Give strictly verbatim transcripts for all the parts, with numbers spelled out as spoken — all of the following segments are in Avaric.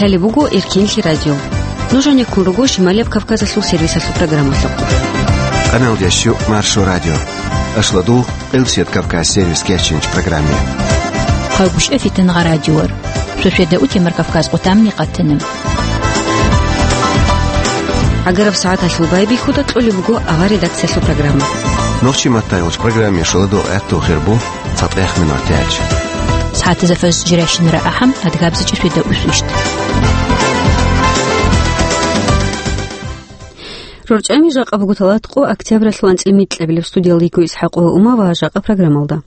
Гьале буго Эркенлъи радио. Нуж гьанеккун руго Шималияб Кавказалъул сервисалъул программалъухъ. Къаналдящу Маршо радио. Ашладул Элсет Кавказ сервис кечинч программе. Хъагушев Фитангъа радиор. Шошеда утемар Кавказ къутамни къатана. Агараб сагӀаталъул байбихьуда кьолеб буго авар редакциялъул программа. Нохчи маттайгъуч программе шоладо гӀатту хирбу. ЦатӀех минутач. СагӀатазда фаз жирайщинара ахӀам, адгабзичӀеб шведа усвищт. РорчӀами жакъа буго талатӀкъо октябралъул анцӀила микьабилеб. Студиялда йиго ИсхӀакъова Ума ва жакъа программалда.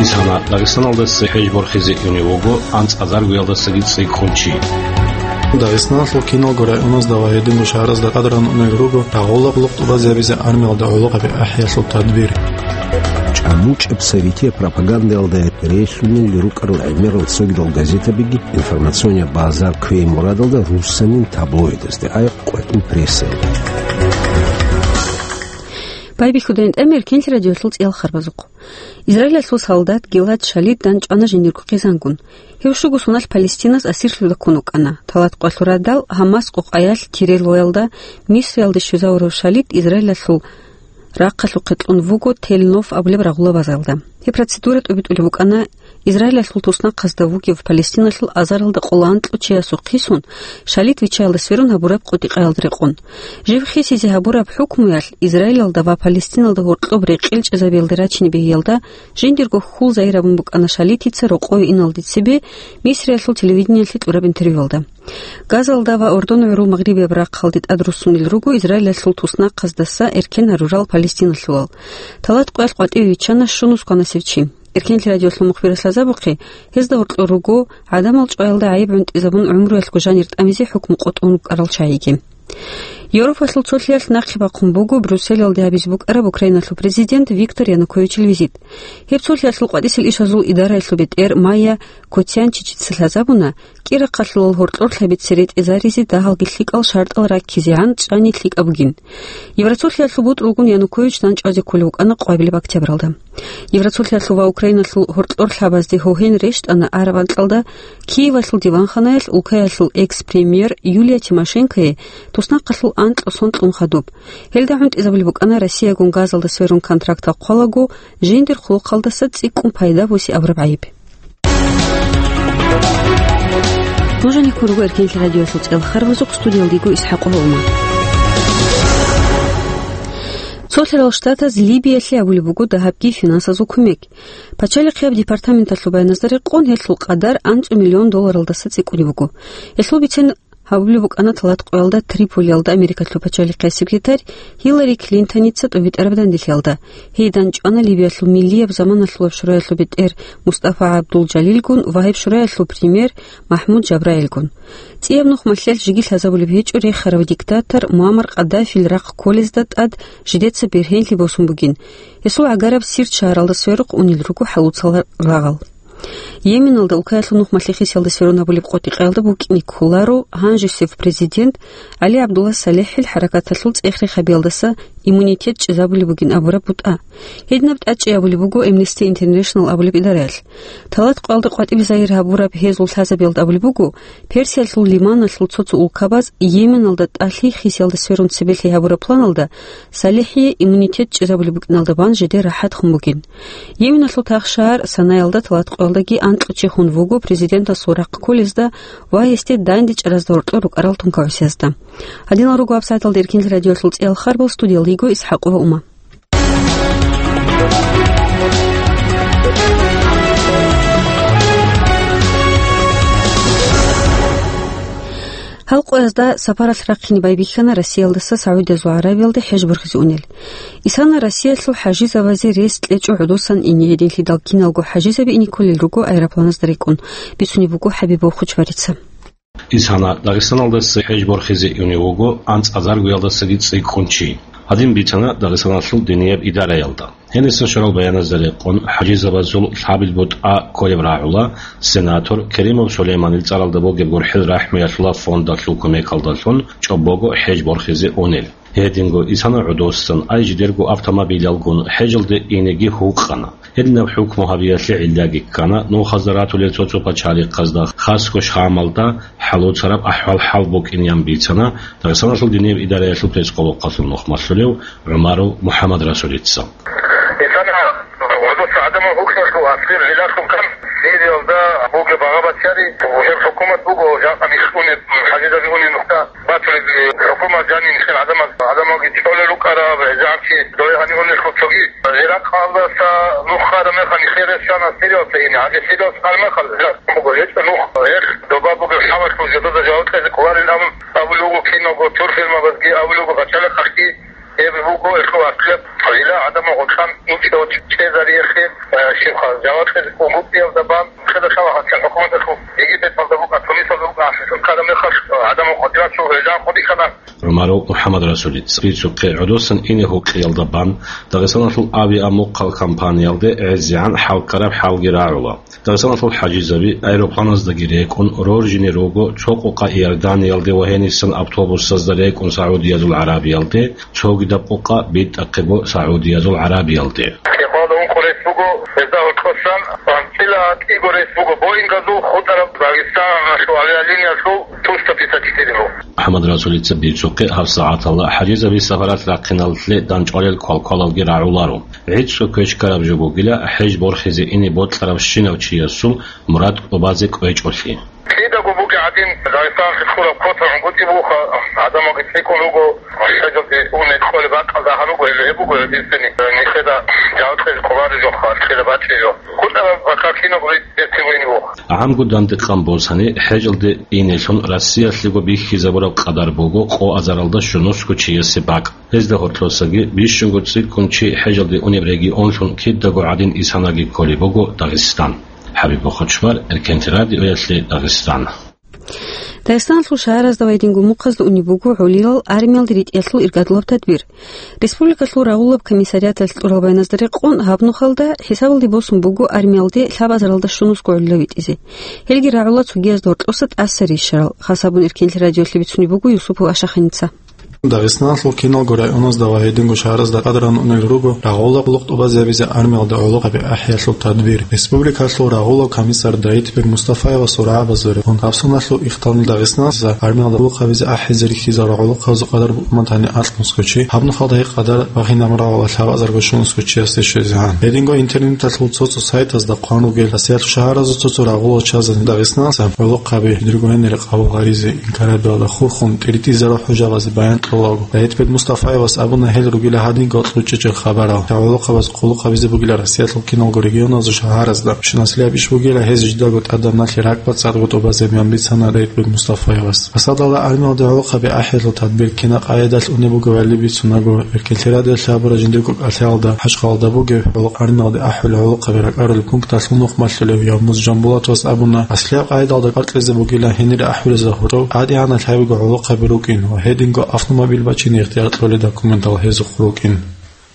Исана Дагъистаналдаса хӀеж борхизе унев вуго анцӀазаргоялдасаги цӀикӀкӀун чи. Дагъистаналъул киналго районазда ва гьединго шагьаразда тӀад ран унел руго рагъула къулухъ тӀубазабизе армиялда гӀолохъаби ахӀиялъул тадбир. ЧӀамучӀаб советиял пропагандаялда релълъунел рукӀарал гӀемерал цогидал газетабиги информационный базар кквей мурадалда руссанин таблоидазде, ай къватӀил прессаялда. Байбихьудайин тӀамер Эркенлъи радиолъул цӀиял харбазухъ. Израилалъул солдат Гилад Шалит данчӀвана жиндирго хъизангун. Гьев щуго соналъ Палестинас асирлъуда ккун вукӀана. ТалатӀкъоялъул радал Гьамас къукъаялъ Тирелоялда Мисриялде щвезавурав Шалит Израилалъул рахъалъухъе кьун вуго Тель-Нов абулеб рагъула базаялда. Гьеб процедура тӀубитӀулеб букӀана Израилалъул туснахъазда вугев Палестиналъул азаралда къоло анкьго чиясухъ хисун, Шалит виччаялда сверун гьабураб къотӀи-къаялда рекъон. Жив хисизе гьабураб хӀукмуялъ Израилалда ва Палестиналда гьоркьоб рекъел чӀезабиялде рачине бегьиялда жиндирго хьул загьир гьабун букӀана Шалитица рокъове иналде цебе Мисриялъул телевидениялъе кьураб интервьюялда. Газалда ва Ордон гӀурул Магърибияб рахъалде тӀад руссунел руго Израилалъул туснахъаздаса эркен гьарурал палестиналъулал. ТалатӀкъоялъ къватӀиве виччана щунус кванасев чи. Эркенлъи радиолъул мухбирас лъазабухъе, гьезда гьоркьор руго гӀадамал чӀваялда гӀайиб гӀунтӀизабун гӀумруялъго жанир тӀамизе хӀукму къотӀун рукӀарал чагӀиги. Европалъул цолъиялъ нахъе бахъун буго Брюсселалде гьабизе букӀараб Украиналъул президент Виктор Януковичил визит. Гьеб цолъиялъул къватӀисел ишазул идараялъул бетӀер Майя Котянчичица лъазабуна, кӀира хъалъулал гьоркьор лъабица ретӀезаризе дагьалги лъикӀал шартӀал раккизегӀан чӀани лъикӀаб бугин. Евроцолъиялъул бутӀрулгун Янукович данчӀвазе кколев вукӀана къвабилеб октябралда. Евроцолъиялъул ва Украиналъул гьоркьор лъабазде гьогьен рещтӀана араб анкьалда Киевалъул диванханаялъ улкаялъул экс-премьер Юлия Тимошенкое туснахъалъул анкьго сон кьун хадуб. Гьелда гӀунтӀизабулеб букӀана Россиягун газалда сверун контракт хъвалаго, жиндир хъулухъалдаса цӀикӀкӀун пайда буси абураб гӀайиб. Нуж гьанеккун руго Эркенлъи радиолъул цӀел харбазухъ, студиялда йиго ИсхӀакъова Ума. Цолъарал Штатаз Либиялъе гьабулеб буго дагьабги финансазул кумек. Пачалихъияб департаменталъул баяназда рекъон гьелъул къадар анцӀго миллион долларалдаса цӀикӀкӀунеб буго. Гьелъул бицен гьабулеб букӀана талатӀкъоялда Триполиялда Америкалъул пачалихъияб секретарь Хиллари Клинтоница тӀубитӀараб данделъиялда. Гьей данчӀвана Либиялъул миллияб заманалъулаб шураялъул бетӀер Мустафа ГӀабдул-Жалилгун ва гьеб шураялъул премьер МахӀмуд Жабраилгун. ЦӀияб нух малъиялъ жеги лъазабулеб гьечӀо рехарав диктатор Муаммар Къаддафил рахъ кколезда тӀад жидеца бергьенлъи босун бугин. Гьесул гӀагараб Сирт шагьаралда сверухъ унел руго хӀалуцал рагъал. Йеменалда улкаялъул нух малъи-хисиялда сверун гьабулеб къотӀи-къаялда букӀине кколаро гьанжесев президент ГӀали ГӀабдулла СалихӀил хӀаракаталъул цӀех-рех гьабиялдаса иммунитет чӀезабулеб бугин абураб бутӀа. Гьединаб тӀад чӀей абулеб буго Amnesty International абулеб идараялъ. ТалатӀкъоялда къватӀибе загьир гьабураб гьезул лъазабиялда абулеб буго, Персиялъул лиманалъул цо-цо улкабаз Йеменалда тӀалъи хисиялда сверун цебелъи гьабураб планалда СалихӀие иммунитет чӀезабулеб букӀиналда бан жидер рахӀат хун бугин. Йеменалъул тахшагьар Санаялда талатӀкъоялдаги анкьго чи хун вуго президентасул рахъ кколезда ва гьесде дандечӀаразда гьоркьор рукӀарал тункабасезда. Гьадинал руго гьабсагӀаталда Эркенлъи радиолъул цӀиял харбал, студиялда йиго ИсхӀакъова Ума. Гьал къоязда сапаралъ рахъине байбихьана Россиялдаса СагӀудиязул ГӀарабиялде хӀеж борхизе унел. Исана Россиялъул хӀажизабазе рес кьечӀо гӀодосан ине гьединлъидал киналго хӀажизаби ине кколел руго аэропланазда рекӀун, бицунеб буго ХӀабибов Хучбарица. Исана Дагъистаналдаса хӀеж борхизе унев вуго анцӀазаргоялдасаги цӀикӀкӀун чи. Гьадин бицана Дагъистаналъул динияб идараялда. Гьениса щварал баяназда рекъон, хӀажизабазул лъабил бутӀа кколеб рагӀула сенатор Керимов Сулейманил цӀаралда бугеб гурхӀел рахӀмуялъула фондалъул кумекалдалъун чӀобого хӀеж борхизе унел. Гьединго Исана гӀодосан ай жидерго автомобилялгун хӀежалде инеги гьукъана. Гьединаб хӀукму гьабиялъе гӀиллаги ккана, нухазда ратулел цо-цо пачалихъазда, хасго Шамалда хӀалуцараб ахӀвал-хӀал букӀинеян бицана Дагъистаналъул динияб идараялъул пескъолохъалъул нухмалъулев ГӀумаров МухӀаммадрасулица. Исана гӀодоса гӀадамал гьукъиялъул асир гӀилалъул кан Сириялда бугеб багъа-бацари, гьеб хӀукумат буго, жакъа нилъ унеб, хӀажизаби унеб нухда батулеб, хӀукумат жаниб нилъер гӀадамаз, гӀадамалги чӀолел рукӀараб, гӀезегӀанчи дойгьани унелъул цоги. Иракъалдаса нух хъараб мехалъ нилъер рес щвана Сириялда ине, гьанже Сириялда хъараб мехалъ, гьелъ буго гьечӀо нух, гьелъ доба бугеб хӀалалъул жидеда жаваб кьезе кӀоларин абун абулеб буго киналго турфирмабазги, абулеб буго пачалихъалъги. Гьеб буго эхо ваклеб, гьила гӀадамал гъоркьан инчӀев чӀезариялъе, э, щибха, жаваб кьезе кӀун гьукъиялда бан, хеда шала гьанчал хӀукуматалъул Египеталда букӀа, Тунисалда букӀа, ахӀи хъараб мехалъ, э, гӀадамал къватӀирачӀул гьезан къудихьана. ГӀумаров МухӀаммадрасулица бицухъе гӀодосан ине гьукъиялда бан Дагъистаналъул авиамухъал компаниялде гӀезегӀан хӀалккараб хӀалги рагӀула. Дагъистаналъул хӀажизаби аэропланаздаги рекӀун роржине руго цо къукъа Иорданиялде ва гьенисан автобусазда рекӀун СагӀудиязул ГӀарабиялде, цогидаб къукъа битӀахъего СагӀудиязул ГӀарабиялде. Кепалда ункъо рейс буго, гьезда гьоркьосан анцӀила кӀиго рейс буго Боингазул хутӀараб Дагъистаналъул авиалиниялъул триста пятьдесят четыре. МухӀаммадрасулица бицухъе гьаб сагӀаталда хӀажизаби сапаралъ рахъиналъе дандчӀвалел квалквалалги рагӀуларо. ГӀицӀго квеш ккараб жо бугила хӀеж борхизе ине бокьарав щинав чиясул мурад тӀубазе кӀвечӀолъи. Кидаго бугеб гӀадин, Дагъистаналъе ккураб квота гӀунгутӀи буха, гӀадамалги цӀикӀкӀун руго, хӀежалде унел кӀолеб бакӀалда гьаб буго, гьеле гьеб буго гьединцани нилъеда жаваб кьезе кӀолареб жоха, нилъеда бачӀеб жо. ХутӀараб бакӀа кинабго ритӀ-, ритӀулин буго. ГӀамгу дандекъан босани, хӀежалде инелъун Россиялъего бихьизабураб къадар буго къо азаралда щунусго чиясе бакӀ. Гьезда гьоркьосаги бищунго цӀикӀкӀун чи хӀежалде унеб регионлъун кидаго гӀадин исанаги кколеб буго Дагъистан. ХӀабиб Бохочмар, Эркенти радиоялъе, Дагъистан. Дагъистаналъул шагьаразда ва гьединго мухъазда унеб буго гӀолилал армиялде ритӀиялъул иргадулаб тадбир. Республикалъул рагъулаб комиссариаталъ кьурал баяназда рекъон, гьаб нухалда хӀисабалде босун буго армиялде лъабазаралда щунусго гӀолилал витӀизе. Гьелги рагӀула цогиязда гьоркьоса тӀаса рищарал. Хасабун Эркенти радиоялъе бицунеб буго Юсупов Ашаханица. Дагъистаналъул киналго районазда ва гьединго шагьаразда къадран унел руго рагъула къулухъ тӀубазабизе армиялда гӀолохъаби ахӀиялъул тадбир. Республикалъул рагъулав комиссар Даитбек Мустафаевас ургӀабазуреб гьабсуналъул ихтални Дагъистаналъ армиялда гӀолохъабизе ахӀизе рихьизарал гӀолохъабазул къадар букӀун батани алъ нусго чи, гьаб нухалда гьеб къадар багьинаб рагъула лъабазарго щунусго чиясде щвезегӀан. Гьединго интернеталъул цо-цо сайтазда хъван ругел, Россиялъул шагьаразул цо-цо рагъулал чазан Дагъистаналъ гӀолохъаби жидерго гьенир къабул гьаризе инкарабиялда хурхун тӀиритӀизарал хӀужабазе баян кьолаго, Даитбек Мустафаевас абуна гьел ругила гьадинго кьучӀичӀел хабарал. ГӀолохъабаз къулухъабизе бугила Россиялъул киналго регионазул шагьаразда. Щунаслъи аб иш бугила гьез жидаго тӀадаб налъи ракӀбацӀцӀадго тӀубазабизе бицана Даитбек Мустафаевас. Асадалда армиялда гӀолохъаби ахӀиялъул тадбир кина къайдаялъ унеб бугебали бицунаго, Эркенти радиоялъ абураб жиндирго кӀалъаялда ХӀажкъалалда бугеб гӀолохъ-, армиялде ахӀулел гӀолохъаби ракӀарулел пункталъул нухмалъулев Ямуз Жанбулатовас абуна, аслияб къайдаялда кӀватӀизе бугила гьенире ахӀулел загьурал, ТӀадегӀанал гьабиго гӀолохъаби рукӀин ва гьединго автомобиль бачине ихтияр кьолел документал гьезухъ рукӀин.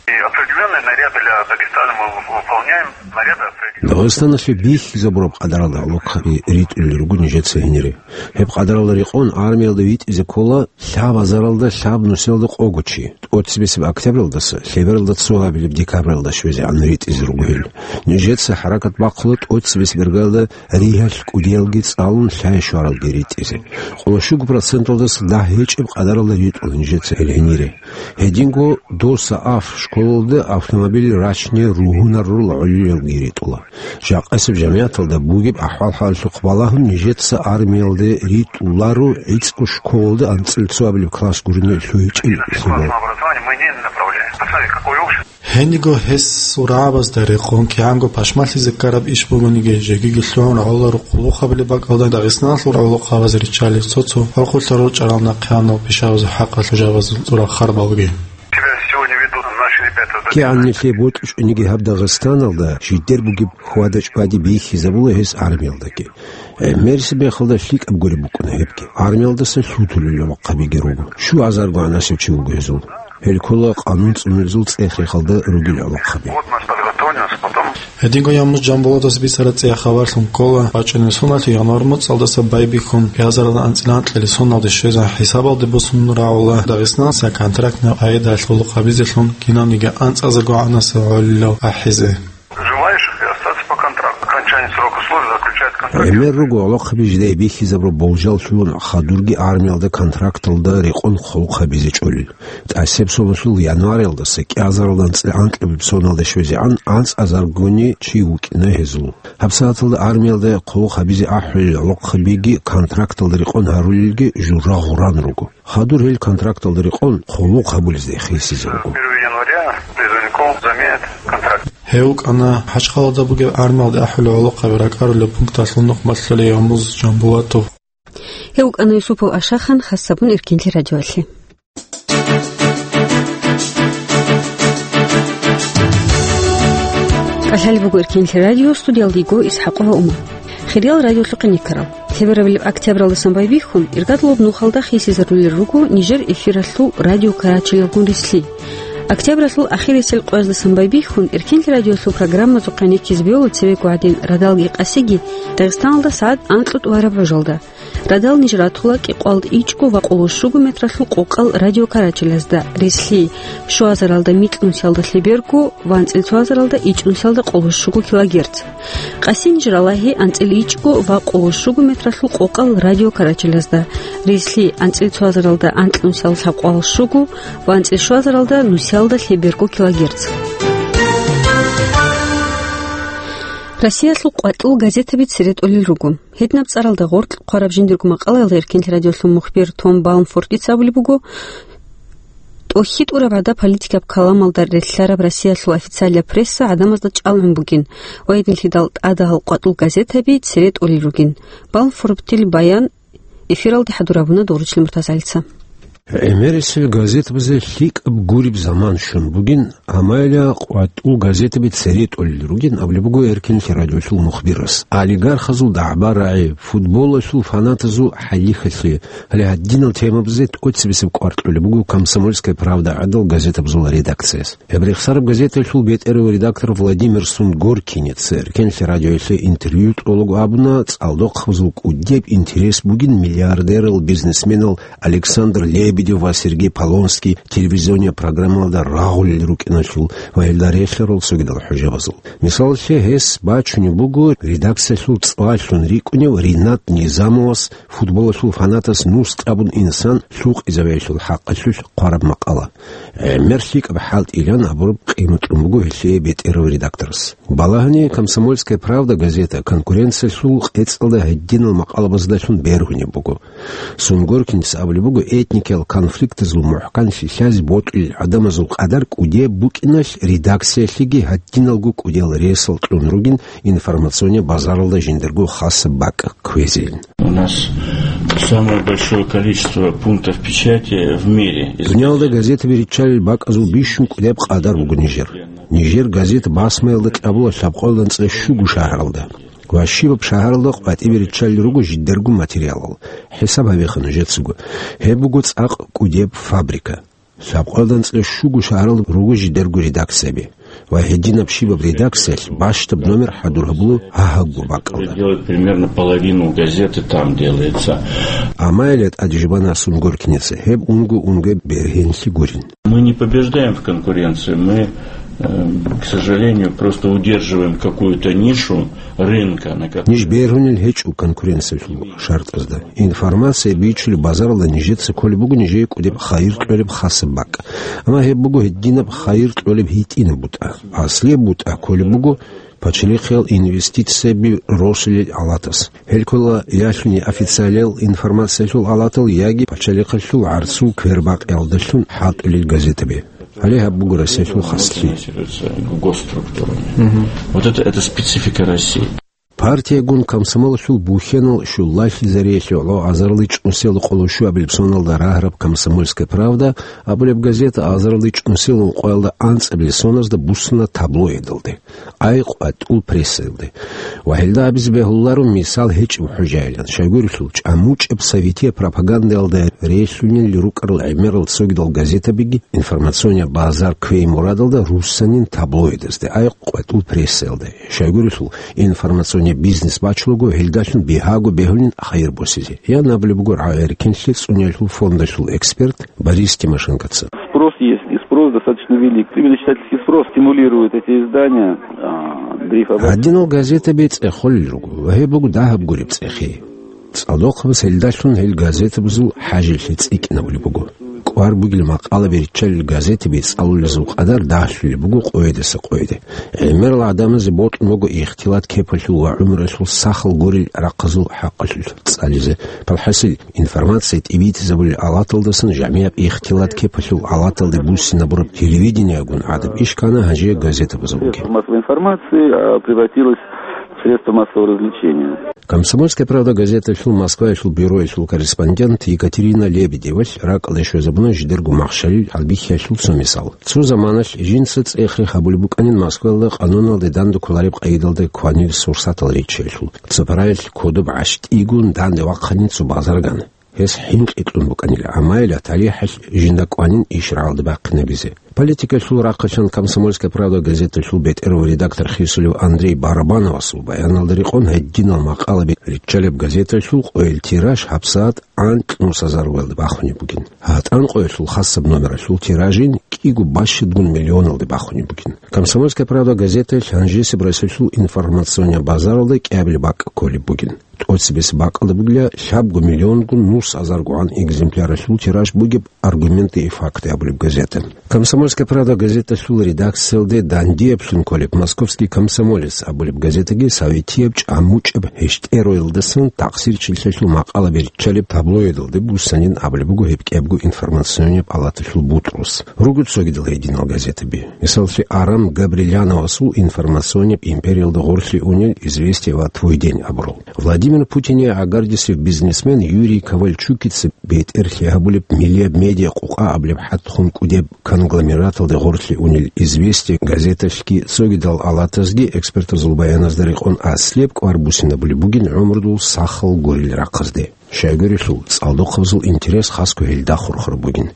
И определённые наряды для Дагестана мы выполняем, наряды определённые. Дагъистаналъе бихьизабураб къадаралда гӀолохъаби ритӀулел руго нижеца гьенире. Гьеб къадаралда рекъон армиялда витӀизе ккола лъабазаралда лъаб нусиялда къого чи, тӀоцебесеб октябралдаса лъебералда цо гьабилеб декабралда щвезегӀан ритӀизе руго гьел. Нижеца хӀаракат бахъула тӀоцебесеб иргаялда ригьалъ кӀудиялги цӀалун лъай-щваралги ритӀизе. Къоло щуго проценталдаса дагь гьечӀеб къадаралда ритӀула нижеца гьел гьенире. Гьединго дос АФ школалда автомобиль рачине ругьунарурал гӀолилалги ритӀула. Жакъасеб жамигӀаталда бугеб ахӀвал-хӀалалъухъ балагьун нижеца армиялде ритӀуларо гӀицӀго школалда анцӀила цо абилеб класс гурони лъугьичӀел лъимал. Гьениго гьес ургӀабазда рекъон кигӀанго пашмалъизе ккараб иш бугониги, жегиги лъугӀун рагӀуларо къулухъабилеб бакӀалда Дагъистаналъул гӀолохъабаз риччалел цо-цо хӀухьулъа рорчӀарал нахъеянал пишабазул хӀакъалъулъ жавабазул цӀураб харбалги. КигӀан нилъее бокьчӀониги гьаб Дагъистаналда жидер бугеб хьвада-чӀвади бихьизабула гьес армиялдаги. ГӀемерисеб мехалда лъикӀаб гуреб букӀуна гьебги. Армиялдаса лъутулел гӀолохъабиги руго. Щуазарго гӀанасев чи вуго гьезул. Гьел ккола къанун цӀунулезул цӀех-рехалда ругел гӀолохъаби. Гьединго Ямуз Жанболатовас бицараб цӀеяхъ хабарлъун ккола, бачӀунеб соналъ январь моцӀалдаса байбихьун, бязаралда анцӀила анкьилел соналде щвезегӀан хӀисабалде босун рагӀула Дагъистаналъ контрактный къагӀидаялъ гӀолохъабизелъун кинавниги анцӀазарго гӀанасев гӀолилал ахӀизе. Желаю, Окончание срока службы заключает контракт. ГӀемер руго гӀолохъаби жидее бихьизабураб болжал лъугьун хадурги армиялда контракталда рекъон хъулухъ гьабизе чӀолел. ТӀасеб соналъул январалдаса кӀиазаралда анцӀила анкьабилеб соналда щвезегӀан анцӀазаргони чи вукӀина гьезул. Гьабсагьаталда армиялда хъулухъ гьабизе ахӀулел гӀолохъабиги контракталда рекъон гьарулелги жура гъуран руго. Хадур гьел контракталда рекъон хъулухъ гьабулезда хисизе руго. Первого января призывников заменят контракт. Гьев вукӀана ХӀачхъалада бугеб армиялда ахӀулел гӀолохъаби ракӀарулеб пункталъул нухмалъали Ямуз Жамбулатов. Гьев вукӀана Юсупов Ашахан, хас гьабун Эркинлъи радиоялъе. КӀалъалеб буго Эркинлъи радио, студиялда йиго ИсхӀакъова Умар. Хириял радиолъухъе никарал. Лъеберабилеб октябралдасан байбихьун, иргадулаб нухалда хисизарулел руго нижер эфиралъул радио карачелалгун рилълъи. Октябралъул ахирисел къояздасан байбихьун, Эркинлъи радиолъул программазухъе никизе бегьула цебего гӀадин радалги къасиги Дагъистаналда сагӀат анкьго тӀубараб гӀужалда. Радал ниж ратула кӀикъоялда ичӀго ва къоло щуго метралъул къокъал радиокарачелазда, рилълъи щуазаралда микьнусиялда лъеберго ва анцӀила цоазаралда ичӀнусиялда къоло щуго килогерц. Къаси ниж ралагьи анцӀила ичӀго ва къоло щуго метралъул къокъал радиокарачелазда, рилълъи анцӀила цоазаралда анкьнусиялда лъабкъоялда щуго ва анцӀила щуазаралда нусиялда лъеберго килогерц. Россиялъул къватӀул газетаби цере тӀолел руго. Гьединаб цӀаралда гъоркь хъвараб жиндирго макъалаялда Эркинлъи радиолъул мухбир Том Балмфордица абулеб буго, тӀохьитӀураб гӀада политикаб каламалда релълъараб Россиялъул официалияб пресса гӀадамазда чӀалгӀун бугин ва гьединлъидал тӀадагьал къватӀул газетаби цере тӀолел ругин. Балмфордил баян эфиралде хӀадур гьабуна Доручил МуртазагӀилица. ГӀемерисел газетабазе лъикӀаб гуреб заман щун бугин, амайла къватӀул газетаби цере тӀолел ругин абулеб буго Эркинлъи радиолъул мухбирас. Олигархазул дагӀба-рагӀи, футболалъул фанатазул хӀалихьалъи, гьале гьадинал темабазе тӀоцебесеб кӀвар кьолеб буго «Комсомольская правда» гӀадал газетабазул редакцияс. Гьеб рехсараб газеталъул бетӀерав редактор Владимир Сунгоркинец Эркинлъи радиоялъе интервью кьолаго абуна, цӀалдохъабазул кӀудияб интерес бугин миллиардерал, бизнесменал Александр Лебедев ва Сергей Полонский телевизионияб программалда рагъулел рукӀиналъул ва гьелда релълъарал цогидал хӀужабазул. Мисалалъе, гьес бачунеб буго редакциялъул цӀаллъун рикӀкӀунев Ринат Низамовас футболалъул фанатас нус кьабун инсан лъукъизавиялъул хӀакъалъулъ хъвараб макъала. ГӀемер лъикӀаб хӀалтӀилан абураб къимат кьун буго гьелъие бетӀерав редакторас. Балагьани, «Комсомольская правда» газета конкуренциялъул къецӀалда гьединал макъалабаздалъун бергьунеб буго. Сунгоркинец абулеб буго, этникиял конфликтазул мухӀканлъи лъазе бокьулел гӀадамазул къадар кӀудияб букӀиналъ, редакциялъеги гьадиналго кӀудиял ресал кьун ругин информационный базаралда жиндирго хасаб бакӀ кквезейин. У нас самое большое количество пунктов печати в мире. Дуниялда газетаби риччалел бакӀазул бищун кӀудияб къадар буго нижер. Нижер газет басмаялда кьабула лъабкъоялда анцӀила щуго шагьаралда. Ва щибаб шагьаралда къватӀибе риччалел руго жидерго материалал. ХӀисаб гьабеха нужецаго. Гьеб буго цӀакъ кӀудеб фабрика. Лъабкъоялда анцӀила щуго шагьаралда руго жидерго редакцияби. Ва гьединаб щибаб редакциялъ бащдаб номер хӀадур гьабула гьагьабго бакӀалда. Делает примерно половину газеты там делается. Амма гьеле тӀаде жубана Сунгоркинеца, гьеб унго-унго бергьенлъи гурин. Мы не побеждаем в конкуренции, мы, э, к сожалению, просто удерживаем какую-то нишу рынка, на которой... Ниж бергьунел гьечӀо конкуренциялъул шартӀазда. Информация бичулеб базаралда нижеца кколеб буго нижее кӀудеб хайир кьолеб хасаб бакӀ. Амма гьеб буго гьединаб хайир кьолеб гьитӀинаб бутӀа. Аслияб бутӀа кколеб буго пачалихъиял инвестицияби росулел алатас. Гьел ккола ялъуни официалиял информациялъул алатал яги пачалихъалъул гӀарцул квербакъиялдалъун хӀалтӀулел газетаби. Гьале гьаб буго Россиялъул хаслъи. Госструктурами. Мгм. Вот это, это специфика России. Партиягун комсомолалъул бухьенал щулалъизариялъе гӀоло азарилда чӀунусиялда къоло щуабилеб соналда рагьараб «Комсомольская правда» абулеб газета азарилда чӀунусиялда ункъоялда анцӀабилеб соназда буссуна таблоидалде, «АйкъватӀул прессаялде». Ва гьелда абизе бегьуларо мисал гьечӀеб хӀужаилан, щайгурелъул чӀамучӀеб советияб пропагандаялда релълъунел рукӀарал гӀемерал цогидал газетабиги информационный базар кквей мурадалда руссанин таблоидазде, «АйкъватӀул прессаялде». Щайгурелъул информационный бизнес бачулаго гьелдалъун бигьаго бегьулин хайир босизе. Я абулеб буго «Эркинлъи» цӀуниялъул фондалъул эксперт Борис Тимошенкоца. Спрос есть, и спрос достаточно Достаточно велик. Именно читательский спрос стимулирует эти издания, а, дрейфовать. Гьадинал газетаби цӀехолел руго ва гьеб буго дагьаб гуреб цӀехи. ЦӀалдохъабаз гьелдалъун гьел газетабазул хӀажилъи цӀикӀкӀинабулеб буго. КӀвар бугел макъалаби риччалел газетаби цӀалулезул къадар дагьлъулеб буго къойидаса къойиде. ГӀемерал гӀадамазе бокьун буго ихтилат кепалъул ва гӀумруялъул сахал гурел рахъазул хӀакъалъулъ цӀализе. Палхасил, информация тӀибитӀизабулел алаталдасан жамигӀаб ихтилат кепалъул алаталде буссинабураб телевидениягун гӀадаб иш ккана гьанже газетабазул бугеб. Средство массовой информации, а, превратилось в средство массового развлечения. «Комсомольская правда» газеталъул Москваялъул бюроялъул корреспондент Екатерина Лебедевалъ ракӀалде щвезабуна жидерго махщалил гьалбихьиялъул цо мисал. Цо заманалъ жинца цӀех-рех гьабулеб букӀанин Москваялда къануналде данде кколареб къайдалда кванил сурсатал риччаялъул. Цо параялъ кодоб гӀащтӀигун данде вахъанин цо базарган. Гьес хӀинкъи кьун букӀанила, амма ила талихӀалъ жинда кӀванин иш рагӀалде бахъинабизе. Политикалъул рахъалъан «Комсомольская правда» газеталъул бетӀерав редактор хисулев Андрей Барабановасул баяналда рекъон гьединал макъалаби риччалеб газеталъул къойил тираж гьабсагӀат анкьнусазар вуялде бахунеб бугин. ГьатӀан къоялъул хасаб номералъул тиражин кӀиго бащадгун миллионалде бахунеб бугин. «Комсомольская правда» газеталъ гьанжесеб Россиялъул информационный базаралда кӀиабилеб бакӀ кколеб бугин. ТӀоцебесеб бакӀалда бугила лъабго миллионгун нусазаргогӀан экземпляралъул тираж бугеб «Аргументы и факты» абулеб газета. «Комсомольская правда» газеталъул редакциялде дандияблъун кколеб «Московский комсомолец» абулеб газетаги советияб чӀамучӀаб гьештӀероялдасан такъсирчилъиялъул макъалаби риччалеб таблоидалде буссанин абулеб буго гьеб кӀиябго информационияб алаталъул бутӀрус. Руго цогидал гьединал газетаби. Мисаллъи, Арам Габриляновасул «Информационияб империялда гъорлъе унел Известия ва Твой день» абурал. Владимир Путине гӀагардисев бизнесмен Юрий Ковальчукица бетӀерлъи гьабулеб миллияб медиа къукъа абулеб хӀатхун кӀудеб конгломераталде гъорлъе унел «Известия» газеталъги цогидал алатазги экспертазул баяназда рекъон аслияб кӀвар буссинабулеб бугин гӀумрудул сахал гурел рахъазде. Щайгурелъул, цӀалдохъабазул интерес хасго гьелда хурхараб бугин.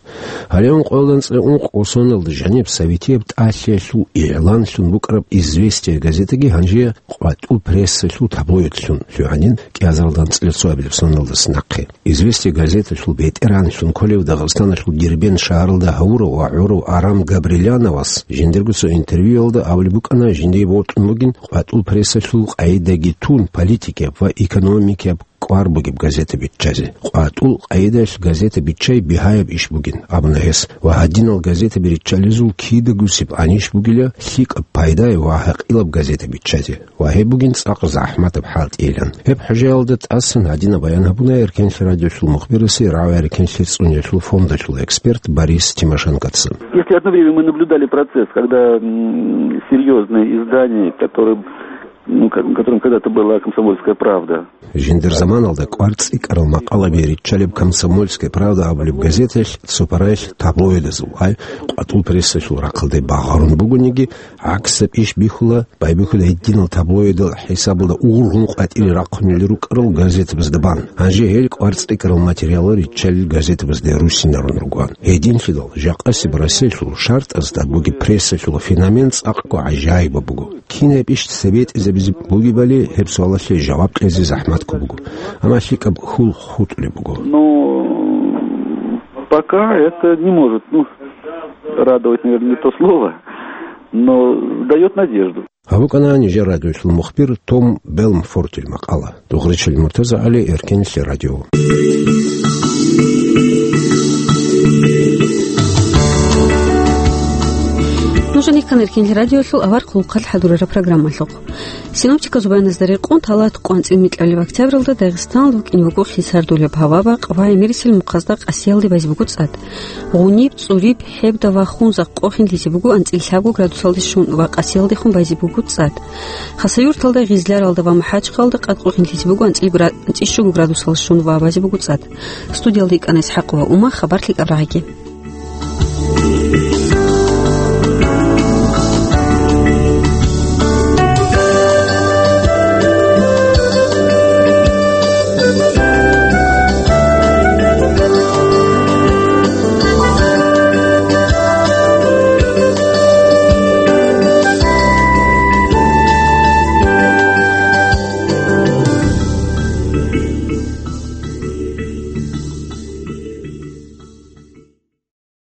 Гьале ункъоялда анцӀила ункъго соналда жаниб советияб тӀалъиялъул игъланлъун букӀараб «Известия» газетаги гьанже къватӀул прессалъул таблоидлъун лъугьанин кӀиазаралда анцӀила цоабилеб соналдаса нахъе. «Известия» газеталъул бетӀеранлъун кколев Дагъистаналъул Дербент шагьаралда гьавурав ва гӀурав Арам Габриляновас жиндирго цо интервьюялда абулеб букӀана, жиндие бокьун бугин къватӀул прессалъул къагӀидаги тун политикияб ва экономикияб кӀвар бугеб газета биччазе. КъватӀул къагӀидаялъ газета биччай бигьаяб иш бугин, абуна гьес, ва гьадинал газетаби риччалезул кидагусеб анищ бугила лъикӀаб пайдаяв ва гьакъилаб газета биччазе. Ва гьеб бугин цӀакъ захӀматаб хӀалтӀийилан. Гьеб хӀужаялда тӀасан гьадинаб баян гьабуна Эркенлъи радиолъул мухбирасе рагӀи-рекенлъи цӀуниялъул фондалъул эксперт Борис Тимошенкоца. Если одно время мы наблюдали процесс, когда, м, серьёзные издания, которые, ну, ко-, которым когда-то была «Комсомольская правда». Жиндир заманалда кӀвар цӀикӀкӀарал макъалаби риччалеб «Комсомольская правда» абулеб газеталъ цо параялъ таблоидазул, ай, къватӀул прессалъул рахъалде багъарун бугониги, гӀаксаб иш бихьула, байбихьула гьединал таблоидал хӀисабалда ургъун къватӀире рахъунел рукӀарал газетабазда бан. Гьанже гьел кӀвар цӀикӀкӀарал материалал риччалел газетабазде руссинарун ругоан. Гьединлъидал, жакъасеб Россиялъул шартӀазда бугеб прессалъул феномен цӀакъго гӀажаибаб буго. Кинаб иш цебетӀизабизе бугебали, гьеб суалалъе жаваб кьезе захӀматго буго. Амма лъикӀаб хьул хутӀулеб буго. Ну, пока это не может, ну, радовать, наверное, не то слово, но даёт надежду. Гьаб букӀана нижер радиолъул мухбир Том Белмфортил макъала. Дугъричил МуртазагӀали, Эркенлъи радио. Нуж рихьана Эркенлъи радиолъул авар хъулухъалъ хӀадурараб программалъухъ. Синоптиказул баяназда рекъон, талат къванцӀил микьабилеб октябралда Дагъистаналда букӀине буго хисардулеб гьаваб-бакъ ва гӀемерисел мухъазда къасиялде байзе буго цӀад. Гъуниб, цӀуриб, хӀебда ва хунзахъ къохин лъизе буго анцӀила лъабго градусалде щун ва къасиялдехун байзе буго цӀад. Хасавюрталда, Гъизляралда ва МахӀачхъалалда къад къохин лъизе буго анцӀила гра-, анцӀила щуго градусалде щун ва байзе буго цӀад. Студиялда йикӀана ИсхӀакъова Ума, хабар лъикӀаб рагӀаги.